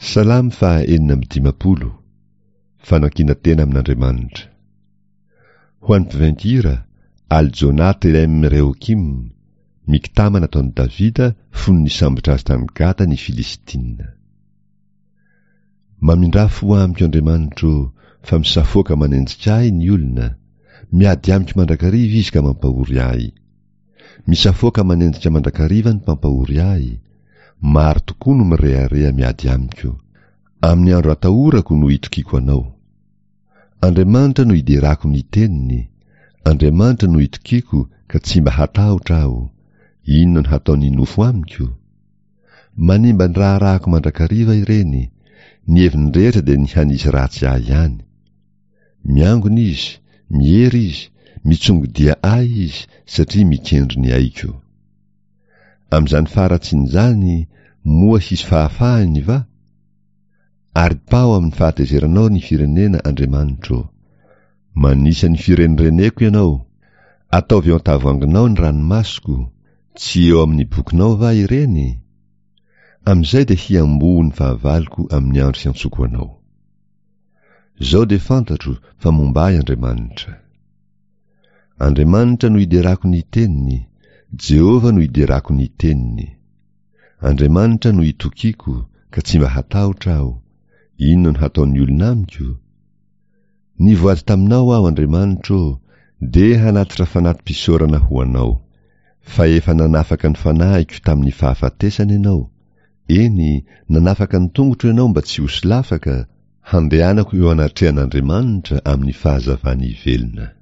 Salamo faha 56 Fanankinan-tena amin'Andriamanitra Ho an'ny mpiventy hira, Al-Jonah Telem Rehokim, Miktama nataon'i Davida fony nisambotra azy tany Gata ny Filistina. Mamindrà fo amiko Andriamanitro ô, fa misafoaka manenjika ahy ny olona, miady amiko mandrakariva izy ka mampahory ahy. Misafoaka manenjika mandrakariva ny mpampahory ahy, maro tokoa no mirehareha miady amiko. Amin'ny andro atahorako no itokiako Anao. Andriamanitra no iderako ny teniny, Andriamanitra no itokiako ka tsy mba hatahotra aho, inona no hataon'ny nofo amiko? Manimba ny raharahako mandrakariva ireny, ny heviny rehetra dia ny hanisy ratsy ahy ihany. Miangona izy, miery izy, mitsongodia ahy izy satria mikendry ny aiko. Amin'izany faharatsiana izany, moa hisy fahafahany va? Aripaho amin'ny fahatezeranao ny firenena, Andriamanitro. Manisa ny firenireneko Ianao. Ataovy eo an-tavoahanginao ny ranomasoko, tsy eo amin'ny bokinao va ireny? Amin'izay dia hiamboho ny fahavaloko amin'ny andro hiantsoko Anao. Izao dia fantatro fa momba ahy Andriamanitra. Andriamanitra no iderako ny teniny, Jehovah no iderako ny teniny. Andriamanitra no itokiako ka tsy mba hatahotra aho, inona no hataon'ny olona amiko? Nivoady taminao aho Andriamanitro ô, dia hanatitra fanati-pisaorana ho Anao. Fa efa nanafaka ny fanahiko tamin'ny fahafatesana Ianao, eny, nanafaka ny tongotro Ianao mba tsy ho solafaka, handehanako eo anatrehan'Andriamanitra amin'ny fahazavan'ny velona.